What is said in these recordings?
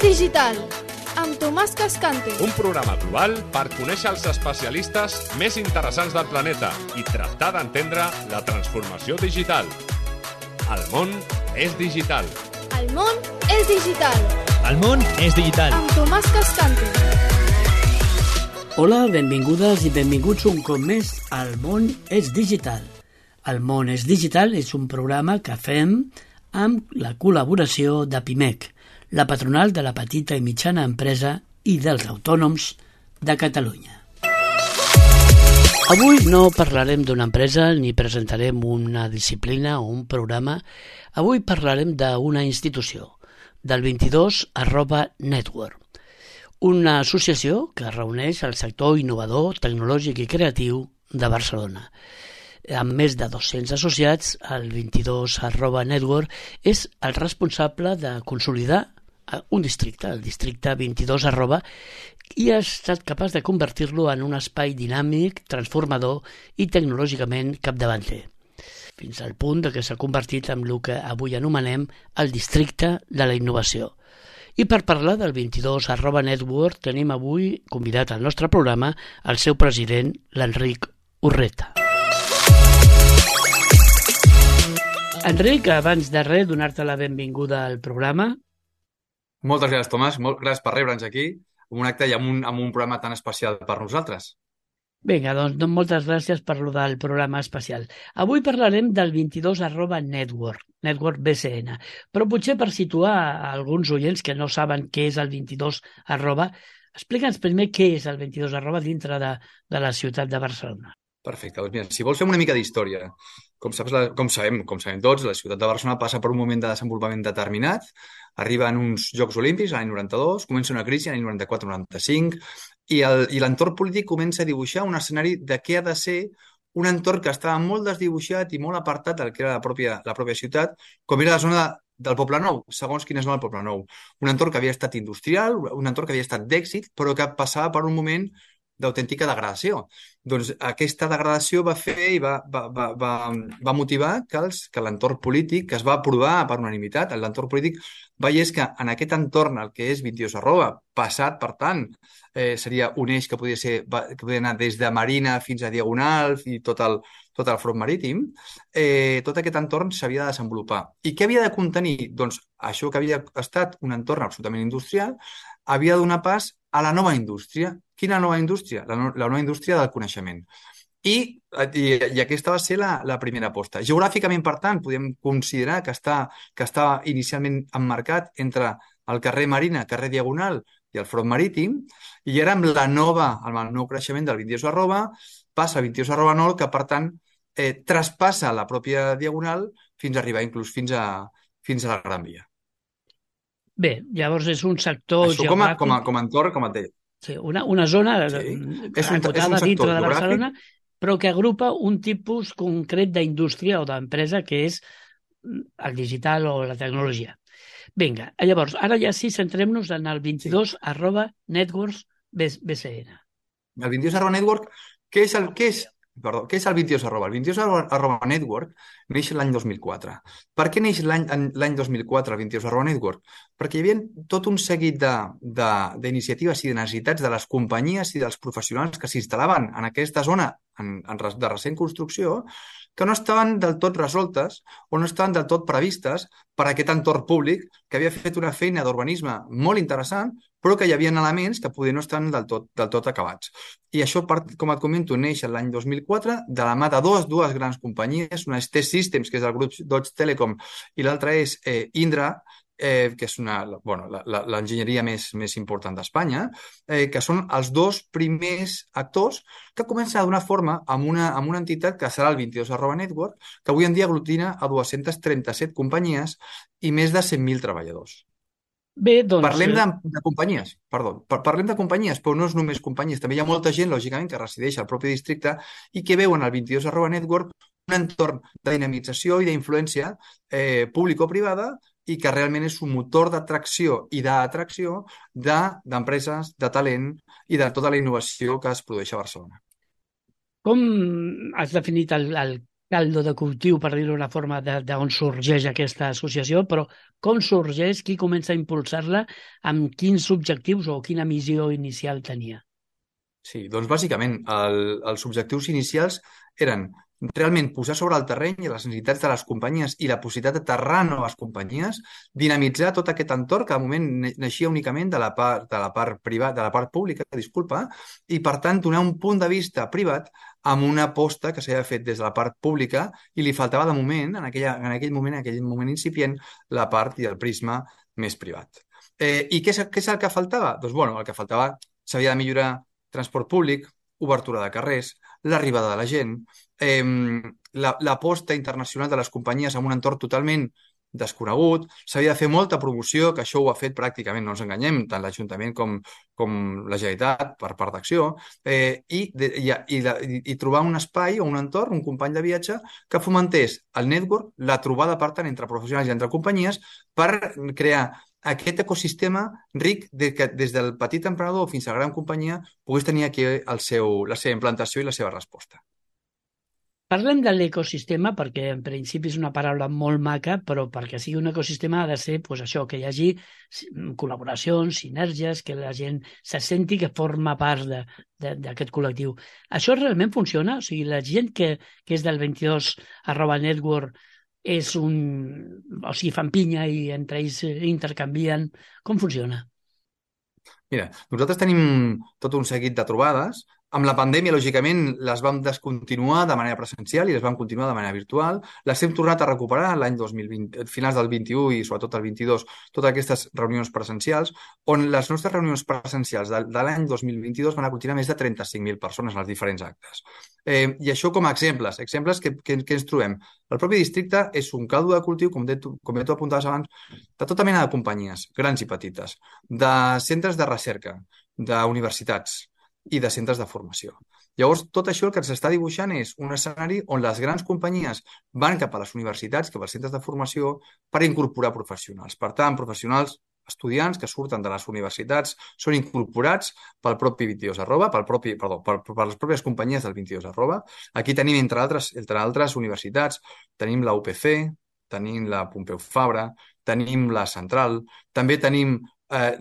Digital, amb Tomàs Cascante. Un programa global per conèixer els especialistes més interessants del planeta i tractar d'entendre la transformació digital. El món és digital. El món és digital. El món és digital. Amb Tomàs Cascante. Hola, benvingudes i benvinguts un cop més al món és digital. El món és digital és un programa que fem amb la col·laboració de PIMEC, la patronal de la petita i mitjana empresa i dels autònoms de Catalunya. Avui no parlarem d'una empresa ni presentarem una disciplina o un programa. Avui parlarem d'una institució, del 22@network, una associació que reuneix el sector innovador, tecnològic i creatiu de Barcelona. Amb més de 200 associats, el 22@network és el responsable de consolidar un districte, el districte 22 i ha estat capaç de convertir-lo en un espai dinàmic, transformador i tecnològicament capdavanter, fins al punt que s'ha convertit en el que avui anomenem el districte de la innovació. I per parlar del 22@network tenim avui convidat al nostre programa el seu president, l'Enric Urreta. Enric, abans de res, donar-te la benvinguda al programa. Moltes gràcies, Tomàs. Gràcies per rebre'ns aquí, en un acte i amb un programa tan especial per nosaltres. Vinga, doncs moltes gràcies per lo del programa especial. Avui parlarem del 22@network, Network BCN, però potser per situar alguns oients que no saben què és el 22 explica'ns primer què és el 22 dintre de la ciutat de Barcelona. Perfecte, doncs mira, si vols fer una mica d'història, com sabem tots, la ciutat de Barcelona passa per un moment de desenvolupament determinat, arriben uns Jocs Olímpics l'any 92, comença una crisi l'any 94-95 i l'entorn polític comença a dibuixar un escenari de què ha de ser un entorn que estava molt desdibuixat i molt apartat del que era la pròpia ciutat, com era la zona del Poble Nou, segons quina zona del Poble Nou. Un entorn que havia estat industrial, un entorn que havia estat d'èxit, però que passava per un moment d'autèntica degradació. Doncs aquesta degradació va fer i va motivar que l'entorn polític, que es va aprovar per unanimitat, l'entorn polític veiés que en aquest entorn, el que és 22 passat, per tant, seria un eix que podia anar des de Marina fins a Diagonal i tot el front marítim, tot aquest entorn s'havia de desenvolupar. I què havia de contenir? Doncs això que havia estat un entorn absolutament industrial havia de donar pas a la nova indústria. Quina nova indústria? La nova indústria del coneixement. I aquesta va ser la primera aposta. Geogràficament, per tant, podem considerar que està inicialment emmarcat entre el carrer Marina, carrer Diagonal i el front marítim, i ara amb el nou creixement del 22 passa al 22 que, per tant, traspassa la pròpia Diagonal fins a arribar inclús fins a la Gran Via. Bé, llavors és un sector això geogràfic... com a entorn, com et deia. Sí, una zona encotada dintre de Barcelona, però que agrupa un tipus concret d'indústria o d'empresa que és el digital o la tecnologia. Vinga, llavors, ara ja sí, centrem-nos en el 22@networks BCN. El 22@network, què és el 22 El 22 network neix l'any 2004. Per què neix l'any 2004 el 22 network? Perquè hi havia tot un seguit d'iniciatives i de necessitats de les companyies i dels professionals que s'instal·laven en aquesta zona de recent construcció que no estaven del tot resoltes o no estaven del tot previstes per aquest entorn públic que havia fet una feina d'urbanisme molt interessant, però que hi havia elements que poder no estan del tot acabats. I això, com et comento, neix l'any 2004 de la mà de dues grans companyies, una és T-Systems, que és del grup Deutsche Telekom, i l'altra és Indra, que és l'enginyeria més important d'Espanya, que són els dos primers actors que comencen a donar forma amb una entitat que serà el 22@network, que avui en dia aglutina a 237 companyies i més de 100.000 treballadors. Bé, doncs... Parlem de companyies, parlem de companyies, però no és només companyies, també hi ha molta gent, lògicament, que resideix al propi districte i que veuen al 22@network un entorn de dinamització i d'influència público-privada i que realment és un motor d'atracció i d'atracció d'empreses, de talent i de tota la innovació que es produeix a Barcelona. Com has definit el caldo de cultiu, per dir-ho d'una forma, d'on sorgeix aquesta associació, però com sorgeix, qui comença a impulsar-la, amb quins objectius o quina missió inicial tenia? Sí, doncs bàsicament els objectius inicials eren realment posar sobre el terreny les necessitats de les companyies i la possibilitat d'aterrar noves companyies, dinamitzar tot aquest entorn que de moment naixia únicament de la part privada, de la part pública, disculpa, i per tant donar un punt de vista privat amb una aposta que s'havia fet des de la part pública i li faltava de moment, en aquell moment incipient, la part i el prisma més privat. I què és el que faltava? Doncs bueno, el que faltava s'havia de millorar transport públic, obertura de carrers, l'arribada de la gent, l'aposta internacional de les companyies en un entorn totalment desconegut, s'havia de fer molta promoció, que això ho ha fet pràcticament, no ens enganyem, tant l'Ajuntament com la Generalitat per part d'Acció, i trobar un espai o un entorn, un company de viatge que fomentés el network, la trobada per tant entre professionals i entre companyies per crear aquest ecosistema ric que des del petit emprenedor fins a la gran companyia pogués tenir aquí la seva implantació i la seva resposta. Parlem de l'ecosistema perquè en principi és una paraula molt maca, però perquè sigui un ecosistema ha de ser pues, això, que hi hagi col·laboracions, sinergies, que la gent se senti que forma part d'aquest col·lectiu. Això realment funciona? O sigui, la gent que és del 22@network és o sigui, fan pinya i entre ells intercanvien. Com funciona? Mira, nosaltres tenim tot un seguit de trobades. Amb la pandèmia, lògicament, les vam descontinuar de manera presencial i les vam continuar de manera virtual. Les hem tornat a recuperar l'any 2020, finals del 21 i sobretot el 22, totes aquestes reunions presencials, on les nostres reunions presencials de l'any 2022 van aconseguir més de 35.000 persones en els diferents actes. I això com a exemples que ens trobem. El propi districte és un caldo de cultiu, com tu apuntaves abans, de tota mena de companyies, grans i petites, de centres de recerca, d'universitats, i de centres de formació. Llavors, tot això el que ens està dibuixant és un escenari on les grans companyies van cap a les universitats, cap als centres de formació, per incorporar professionals. Per tant, professionals, estudiants que surten de les universitats són incorporats pel propi 22 per les pròpies companyies del 22 . Aquí tenim, entre altres universitats, tenim la UPC, tenim la Pompeu Fabra, tenim la Central, també tenim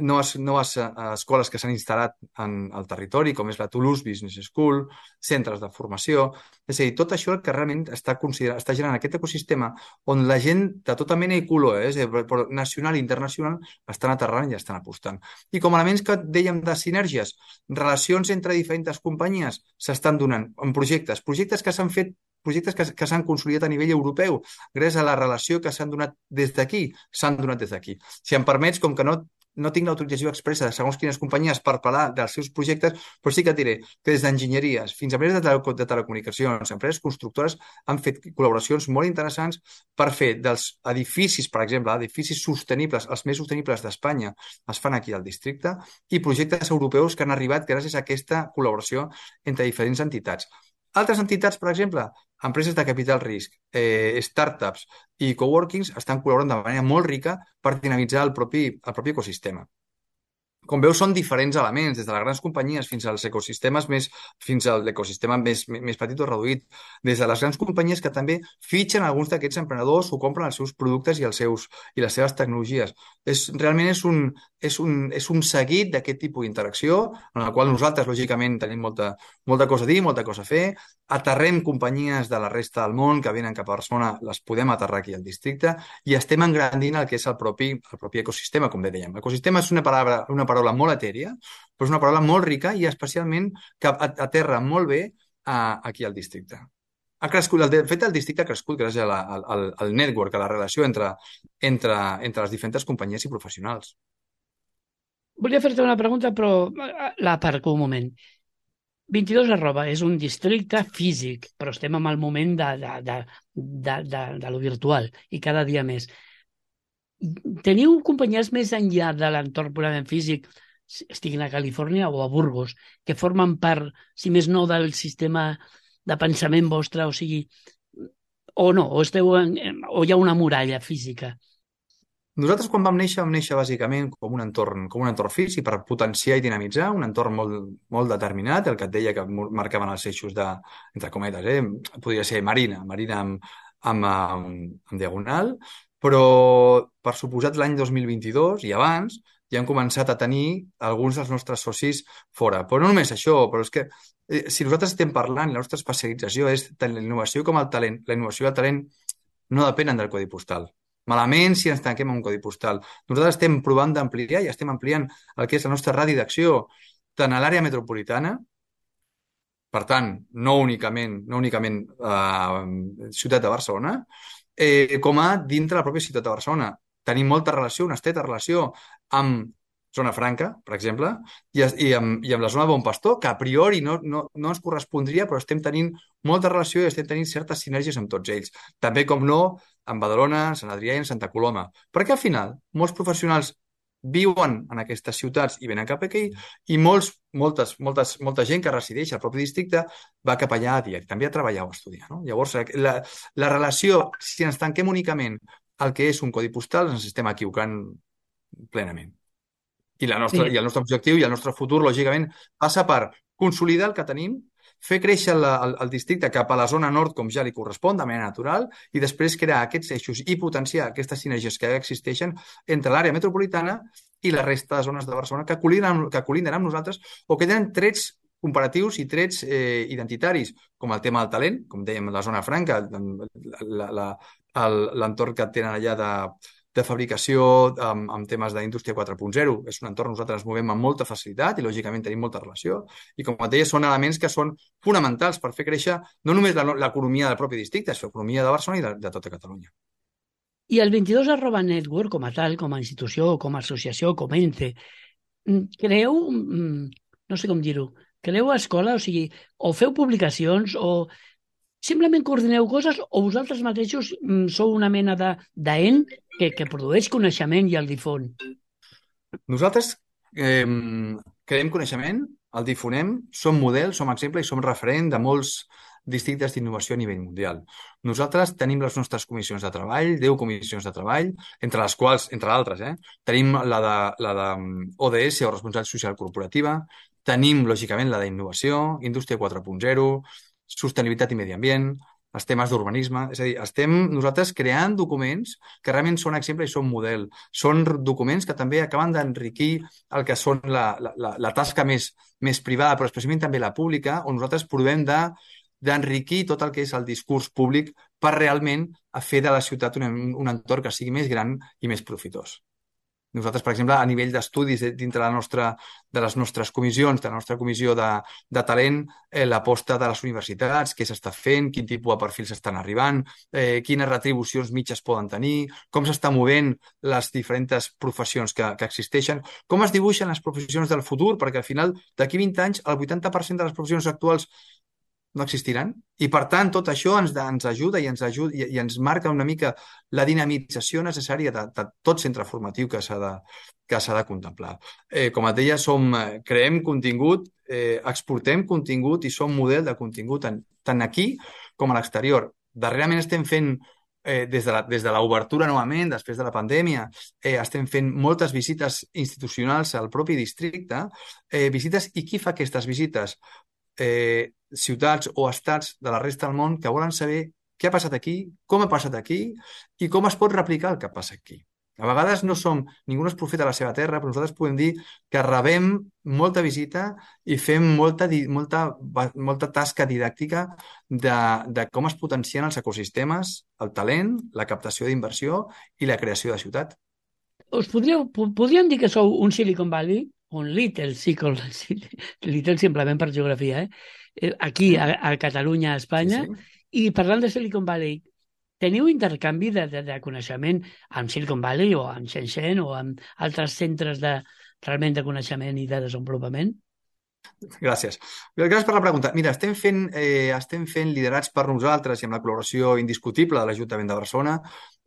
noves escoles que s'han instal·lat al territori, com és la Toulouse Business School, centres de formació. És a dir, tot això que realment està generant aquest ecosistema on la gent de tota mena i color, nacional i internacional, estan aterrant i estan apostant. I com a elements que dèiem de sinergies, relacions entre diferents companyies s'estan donant en projectes que s'han fet, projectes que s'han consolidat a nivell europeu, gràcies a la relació que s'han donat des d'aquí, Si em permets, com que no tinc l'autorització expressa de segons quines companyies per parlar dels seus projectes, però sí que et diré que des d'enginyeries fins a empreses de telecomunicacions, empreses constructores, han fet col·laboracions molt interessants per fer dels edificis, per exemple, edificis sostenibles, els més sostenibles d'Espanya, es fan aquí al districte, i projectes europeus que han arribat gràcies a aquesta col·laboració entre diferents entitats. Altres entitats, per exemple, empreses de capital risc, startups i coworkings estan col·laborant de manera molt rica per dinamitzar el propi ecosistema. Com veus, són diferents elements, des de les grans companyies fins als ecosistemes fins a l'ecosistema més petit o reduït, des de les grans companyies que també fitxen alguns d'aquests emprenedors o compren els seus productes i les seves tecnologies. Realment és un seguit d'aquest tipus d'interacció, en el qual nosaltres, lògicament, tenim molta cosa a dir, molta cosa a fer, aterrem companyies de la resta del món que venen cap a Barcelona, les podem aterrar aquí al districte i estem engrandint el que és el propi ecosistema, com bé dèiem. L'ecosistema és una paraula molt etèria, però és una paraula molt rica i especialment que aterra molt bé aquí al districte. Ha crescut, de fet, el districte ha crescut gràcies al network, a la relació entre les diferents companyies i professionals. Volia fer-te una pregunta, però l'aparco un moment. 22 és un districte físic, però estem en el moment de lo virtual i cada dia més. Teniu companyies més enllà de l'entorn purament físic, estiguin a Califòrnia o a Burgos, que formen part, si més no, del sistema de pensament vostre, o sigui, o no, o hi ha una muralla física? Nosaltres quan vam néixer bàsicament com un entorn físic per potenciar i dinamitzar, un entorn molt determinat, el que et deia que marcaven els eixos entre cometes, podria ser marina amb diagonal, però per suposat l'any 2022 i abans ja hem començat a tenir alguns dels nostres socis fora. Però no només això, però és que si nosaltres estem parlant, la nostra especialització és tant la innovació com el talent. La innovació i el talent no depenen del codi postal. Malament si ens tanquem en un codi postal. Nosaltres estem provant d'ampliar i estem ampliant el que és la nostra radi d'acció tant a l'àrea metropolitana, per tant, no únicament ciutat de Barcelona, com a dintre la pròpia ciutat de Barcelona. Tenim molta relació, una estreta relació amb Zona Franca, per exemple, i amb la zona de Bon Pastor, que a priori no ens correspondria, però estem tenint molta relació i estem tenint certes sinergies amb tots ells. També, com no, amb Badalona, Sant Adrià i Santa Coloma. Perquè al final, molts professionals viuen en aquestes ciutats i venen cap aquí i molta gent que resideix al propi districte va cap allà a diari, també a treballar o a estudiar. No? Llavors, la relació, si ens tanquem únicament al que és un codi postal, ens estem equivocant plenament. I el nostre objectiu i el nostre futur, lògicament, passa per consolidar el que tenim, fer créixer el districte cap a la zona nord com ja li correspon, de manera natural, i després crear aquests eixos i potenciar aquestes sinergies que ja existeixen entre l'àrea metropolitana i la resta de zones de Barcelona que col·linden amb nosaltres o que tenen trets comparatius i trets identitaris, com el tema del talent, com dèiem, la zona franca, l'entorn que tenen allà de fabricació amb temes d'indústria 4.0. És un entorn on nosaltres ens movem amb molta facilitat i, lògicament, tenim molta relació. I, com et deia, són elements que són fonamentals per fer créixer no només l'economia del propi districte, sinó l'economia de Barcelona i de tota Catalunya. I el 22@network, com a tal, com a institució, com a associació, com a ente, creu, no sé com dir-ho, creu escola, o sigui, o feu publicacions o simplement coordineu coses o vosaltres mateixos sou una mena d'ent que produeix coneixement i el difon? Nosaltres creem coneixement, el difonem, som model, som exemple i som referent de molts districtes d'innovació a nivell mundial. Nosaltres tenim les nostres comissions de treball, 10 comissions de treball, entre les quals, entre d'altres, tenim la de ODS, o Responsabilitat Social Corporativa, tenim, lògicament, la d'innovació, Indústria 4.0, Sostenibilitat i Medi Ambient, els temes d'urbanisme. És a dir, estem nosaltres creant documents que realment són exemple i són model. Són documents que també acaben d'enriquir el que són la tasca més privada, però especialment també la pública, on nosaltres provem d'enriquir tot el que és el discurs públic per realment fer de la ciutat un entorn que sigui més gran i més profitós. Nosaltres, per exemple, a nivell d'estudis dintre de les nostres comissions, de la nostra comissió de talent, l'aposta de les universitats, què s'està fent, quin tipus de perfils estan arribant, quines retribucions mitges poden tenir, com s'està movent les diferents professions que existeixen, com es dibuixen les professions del futur, perquè al final, d'aquí 20 anys, el 80% de les professions actuals no existiran. I, per tant, tot això ens ajuda i ens marca una mica la dinamització necessària de tot centre formatiu que s'ha de contemplar. Com et deia, creem contingut, exportem contingut i som model de contingut tant aquí com a l'exterior. Darrerament estem fent, des de l'obertura novament, després de la pandèmia, estem fent moltes visites institucionals al propi districte, visites, i qui fa aquestes visites? Ciutats o estats de la resta del món que volen saber què ha passat aquí, com ha passat aquí i com es pot replicar el que passa aquí. A vegades ningú no és profeta a la seva terra, però nosaltres podem dir que rebem molta visita i fem molta tasca didàctica de com es potencien els ecosistemes, el talent, la captació d'inversió i la creació de ciutat. Podríem dir que sou un Silicon Valley? Un Little simplement per geografia, aquí a Catalunya, a Espanya, sí. I parlant de Silicon Valley, teniu intercanvi de coneixement amb Silicon Valley o amb Shenzhen o amb altres centres realment de coneixement i de desenvolupament? Gràcies. Gràcies per la pregunta. Mira, estem fent liderats per nosaltres i amb la col·laboració indiscutible de l'Ajuntament de Barcelona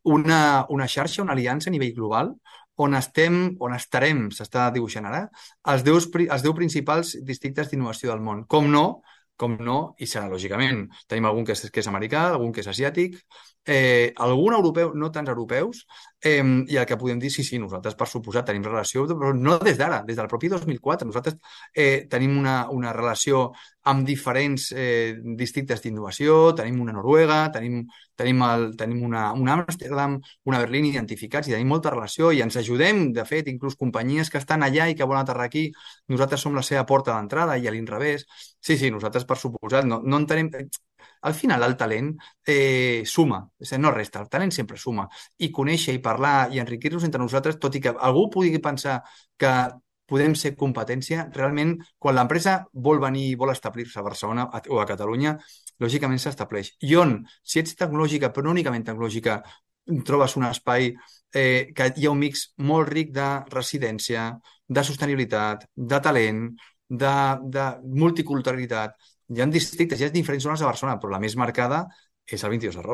una xarxa, una aliança a nivell global on estarem, s'està dibuixant ara, els 10 principals districtes d'innovació del món. Com no, com no, i serà lògicament. Tenim algun que és americà, algun que és asiàtic, algun europeu, no tants europeus, i el que podem dir, sí, nosaltres per suposat tenim relació, però no des d'ara, des del propi 2004. Nosaltres tenim una relació amb diferents districtes d'innovació, tenim una Noruega, tenim una Amsterdam, una Berlín identificats, i tenim molta relació i ens ajudem, de fet, inclús companyies que estan allà i que volen aterrar aquí, nosaltres som la seva porta d'entrada i a l'inrevés. Sí, nosaltres per suposat no entenem... Al final el talent suma, és a dir, no resta, el talent sempre suma, i conèixer i parlar i enriquir-nos entre nosaltres, tot i que algú pugui pensar que podem ser competència, realment quan l'empresa vol venir i vol establir-se a Barcelona o a Catalunya, lògicament s'estableix. I on, si ets tecnològica, però no únicament tecnològica, trobes un espai que hi ha un mix molt ric de residència, de sostenibilitat, de talent, de multiculturalitat. Hi ha districtes, hi ha diferents zones de Barcelona, però la més marcada és el 22 @.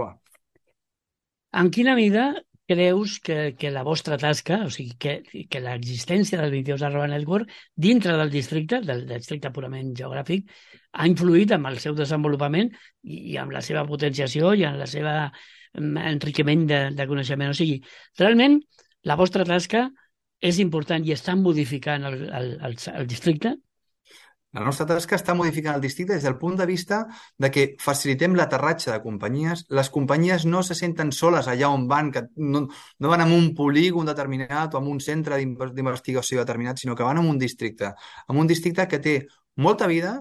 En quina mida creus que la vostra tasca, o sigui, que l'existència del 22 Network dintre del districte purament geogràfic, ha influït en el seu desenvolupament i en la seva potenciació i en la seva enriquiment de coneixement? O sigui, realment la vostra tasca és important i està modificant el districte? La nostra tasca està modificant el districte des del punt de vista de que facilitem l'aterratge de companyies. Les companyies no se senten soles allà on van, que no van a un polígon determinat o a un centre d'investigació determinat, sinó que van a un districte que té molta vida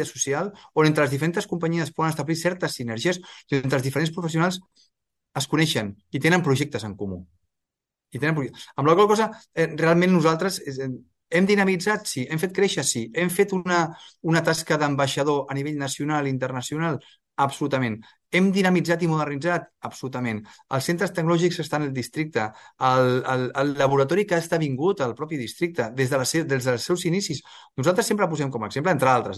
social, on entre les diferents companyies poden establir certes sinergies i entre els diferents professionals es coneixen i tenen projectes en comú. Amb la qual cosa, realment nosaltres hem dinamitzat, sí. Hem fet créixer, sí. Hem fet una tasca d'ambaixador a nivell nacional i internacional, absolutament. Hem dinamitzat i modernitzat, absolutament. Els centres tecnològics estan al districte, el laboratori que ha esdevingut al propi districte, des dels seus inicis. Nosaltres sempre posem com a exemple, entre altres,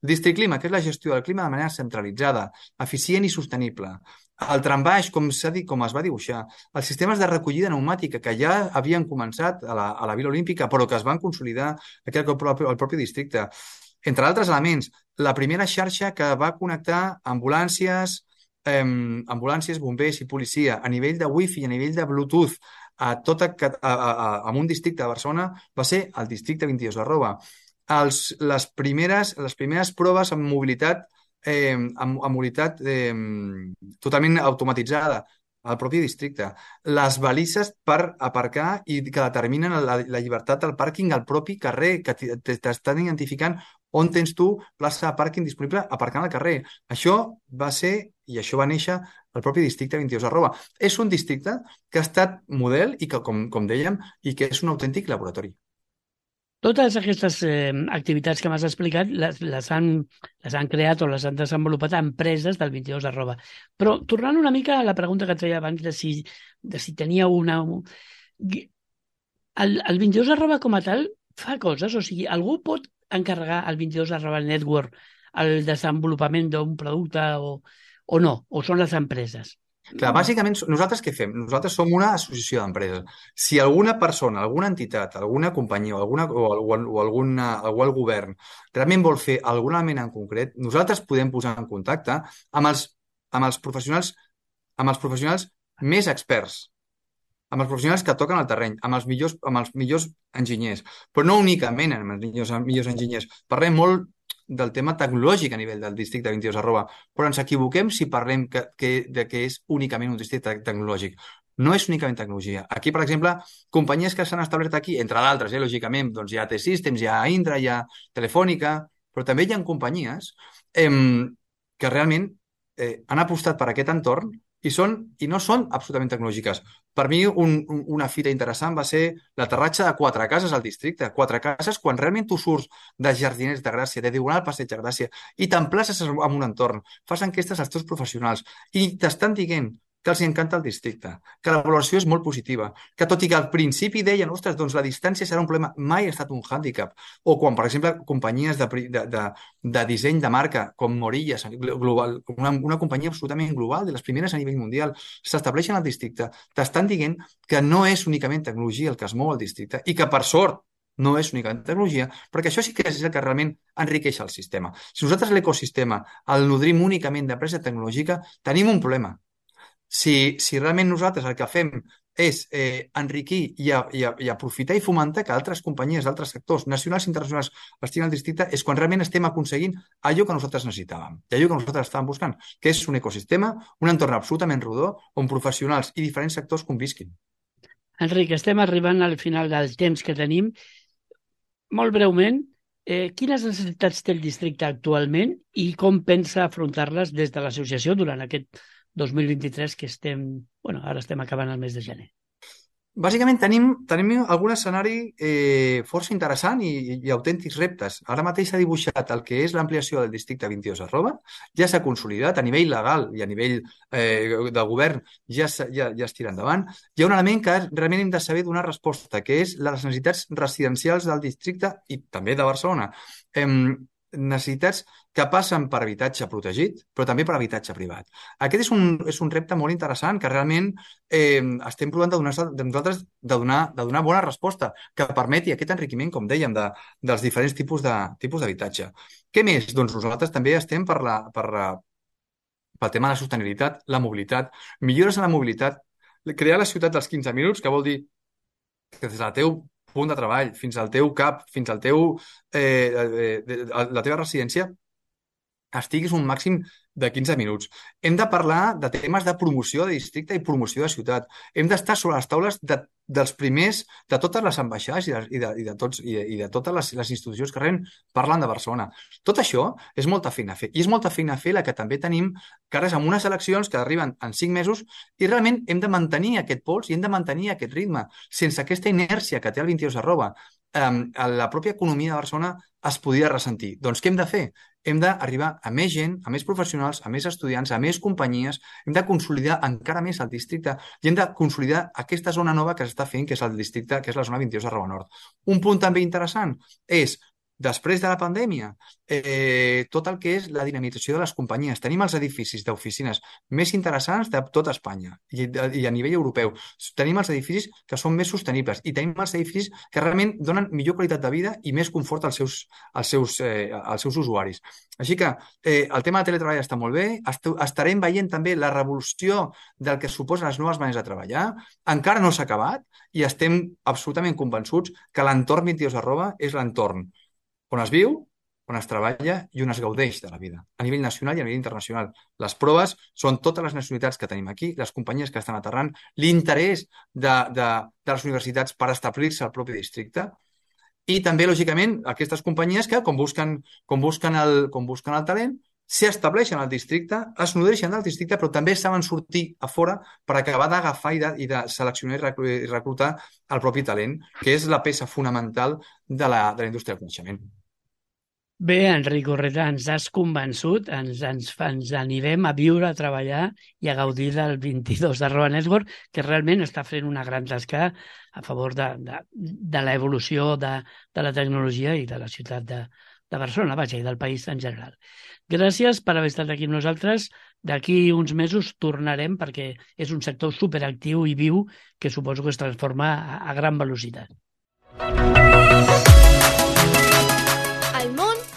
District Clima, que és la gestió del clima de manera centralitzada, eficient i sostenible. El trambaix, com es va dibuixar, els sistemes de recollida pneumàtica que ja havien començat a la Vila Olímpica, però que es van consolidar aquí al propi districte. Entre altres elements, la primera xarxa que va connectar ambulàncies, bombers i policia a nivell de Wi-Fi i a nivell de Bluetooth a un districte de Barcelona va ser el districte 22 @. Les primeres proves amb mobilitat totalment automatitzada al propi districte. Les balises per aparcar i que determinen la llibertat del pàrquing al propi carrer, que t'estan identificant on tens tu plaça de pàrquing disponible aparcant al carrer. Això va ser, i això va néixer al propi districte 22 @. És un districte que ha estat model i que, com dèiem, i que és un autèntic laboratori. Totes aquestes activitats que m'has explicat les han creat o les han desenvolupat empreses del 22 @. Però tornant una mica a la pregunta que et feia abans de si tenia una... El 22 com a tal fa coses? O sigui, algú pot encarregar al 22 Network el desenvolupament d'un producte o no? O són les empreses? Clar, bàsicament, nosaltres què fem? Nosaltres som una associació d'empreses. Si alguna persona, alguna entitat, alguna companyia o el govern realment vol fer algun element en concret, nosaltres podem posar en contacte amb els professionals més experts, amb els professionals que toquen el terreny, amb els millors enginyers, però no únicament amb els millors enginyers. Parlem molt del tema tecnològic a nivell del districte 22 @, però ens equivoquem si parlem que és únicament un districte tecnològic. No és únicament tecnologia. Aquí, per exemple, companyies que s'han establert aquí, entre d'altres, lògicament, doncs hi ha T-Systems, hi ha Indra, hi ha Telefònica, però també hi ha companyies que realment han apostat per aquest entorn i no són absolutament tecnològiques. Per mi, una fita interessant va ser l'aterratge de 4 cases al districte. 4 cases, quan realment tu surts de Jardiners de Gràcia, de Diagonal Passeig de Gràcia, i t'emplaces en un entorn, fas enquestes als teus professionals i t'estan dient que els encanta el districte, que la valoració és molt positiva, que tot i que al principi deien, ostres, doncs la distància serà un problema, mai ha estat un hàndicap. O quan, per exemple, companyies de disseny de marca, com Morillas, global, una companyia absolutament global, de les primeres a nivell mundial, s'estableixen al districte, t'estan dient que no és únicament tecnologia el que es mou al districte i que, per sort, no és únicament tecnologia, perquè això sí que és el que realment enriqueix el sistema. Si nosaltres l'ecosistema el nodrim únicament d'empresa tecnològica, tenim un problema. Si realment nosaltres el que fem és enriquir i aprofitar i fomentar que altres companyies d'altres sectors, nacionals i internacionals, estiguin al districte, és quan realment estem aconseguint allò que nosaltres necessitàvem i allò que nosaltres estàvem buscant, que és un ecosistema, un entorn absolutament rodó on professionals i diferents sectors convisquin. Enric, estem arribant al final del temps que tenim. Molt breument, quines necessitats té el districte actualment i com pensa afrontar-les des de l'associació durant aquest 2023 que ara estem acabant el mes de gener? Bàsicament tenim algun escenari força interessant i autèntics reptes. Ara mateix s'ha dibuixat el que és l'ampliació del districte 22 @, ja s'ha consolidat a nivell legal i a nivell de govern, ja es tira endavant. Hi ha un element que realment hem de saber donar resposta, que és les necessitats residencials del districte i també de Barcelona. Necessitats que passen per habitatge protegit, però també per habitatge privat. Aquest és un repte molt interessant que realment estem provant de donar bona resposta, que permeti aquest enriquiment, com dèiem, dels diferents tipus d'habitatge. Què més? Doncs nosaltres també estem pel tema de la sostenibilitat, la mobilitat, millores en la mobilitat, crear la ciutat dels 15 minuts, que vol dir que des del teu punt de treball, fins al teu CAP, fins al la teva residència, estiguis un màxim de 15 minuts. Hem de parlar de temes de promoció de districte i promoció de ciutat. Hem d'estar sobre les taules dels primers, de totes les ambaixades i de totes les institucions que realment parlen de Barcelona. Tot això és molta feina a fer. I és molta feina a fer la que també tenim cares amb unes eleccions que arriben en 5 mesos i realment hem de mantenir aquest pols i hem de mantenir aquest ritme. Sense aquesta inèrcia que té el 22 la pròpia economia de Barcelona es podria ressentir. Doncs què hem de fer? Hem d'arribar a més gent, a més professionals, a més estudiants, a més companyies, hem de consolidar encara més el districte i hem de consolidar aquesta zona nova que s'està fent, que és el districte, que és la zona 22 @. Un punt també interessant és, després de la pandèmia, tot el que és la dinamització de les companyies. Tenim els edificis d'oficines més interessants de tota Espanya i a nivell europeu. Tenim els edificis que són més sostenibles i tenim els edificis que realment donen millor qualitat de vida i més confort als seus usuaris. Així que el tema del teletreball està molt bé. Estarem veient també la revolució del que suposen les noves maneres de treballar. Encara no s'ha acabat i estem absolutament convençuts que l'entorn 22 és l'entorn on es viu, on es treballa i on es gaudeix de la vida, a nivell nacional i a nivell internacional. Les proves són totes les nacionalitats que tenim aquí, les companyies que estan aterrant, l'interès de les universitats per establir-se al propi districte i també, lògicament, aquestes companyies que, com busquen el talent, s'estableixen al districte, es nodreixen del districte, però també saben sortir a fora per acabar d'agafar i de seleccionar i reclutar el propi talent, que és la peça fonamental de la indústria del coneixement. Bé, Enric Urreta, ens has convençut, ens anirem a viure, a treballar i a gaudir del 22 @Network, que realment està fent una gran tasca a favor de l'evolució de la tecnologia i de la ciutat de Barcelona, vaja, i del país en general. Gràcies per haver estat aquí amb nosaltres. D'aquí uns mesos tornarem perquè és un sector superactiu i viu que suposo que es transforma a gran velocitat.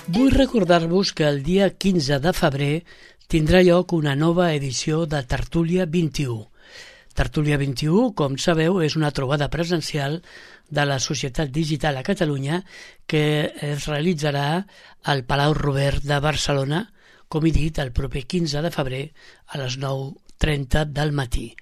Vull recordar-vos que el dia 15 de febrer tindrà lloc una nova edició de Tertúlia 21. Tertúlia 21, com sabeu, és una trobada presencial de la Societat Digital a Catalunya que es realitzarà al Palau Robert de Barcelona, com he dit, el proper 15 de febrer a les 9:30 del matí.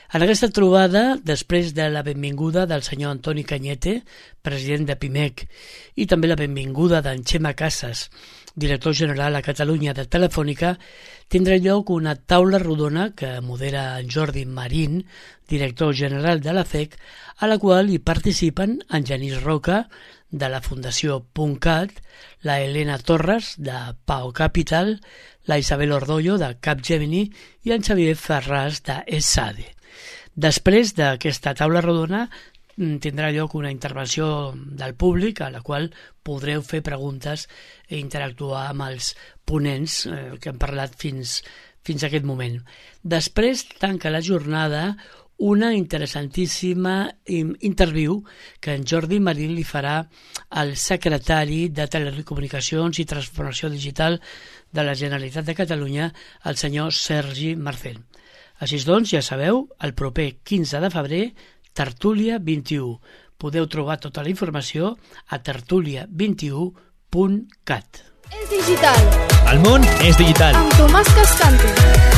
En aquesta trobada, després de la benvinguda del senyor Antoni Cañete, president de PIMEC, i també la benvinguda d'en Xema Casas, director general a Catalunya de Telefònica, tindrà lloc una taula rodona que modera en Jordi Marín, director general de la FEC, a la qual hi participen en Genís Roca, de la Fundació .cat, la Helena Torres, de Pau Capital, la Isabel Ordollo, de Capgemini, i en Xavier Ferràs, de ESADE. Després d'aquesta taula rodona tindrà lloc una intervenció del públic a la qual podreu fer preguntes i interactuar amb els ponents que han parlat fins a aquest moment. Després tanca la jornada una interessantíssima interviu que en Jordi Marín li farà al secretari de Telecomunicacions i Transformació Digital de la Generalitat de Catalunya, el senyor Sergi Marcel. Així doncs, ja sabeu, el proper 15 de febrer, Tertúlia 21. Podeu trobar tota la informació a tertulia21.cat. És digital. El món és digital. Amb Tomàs Cascante.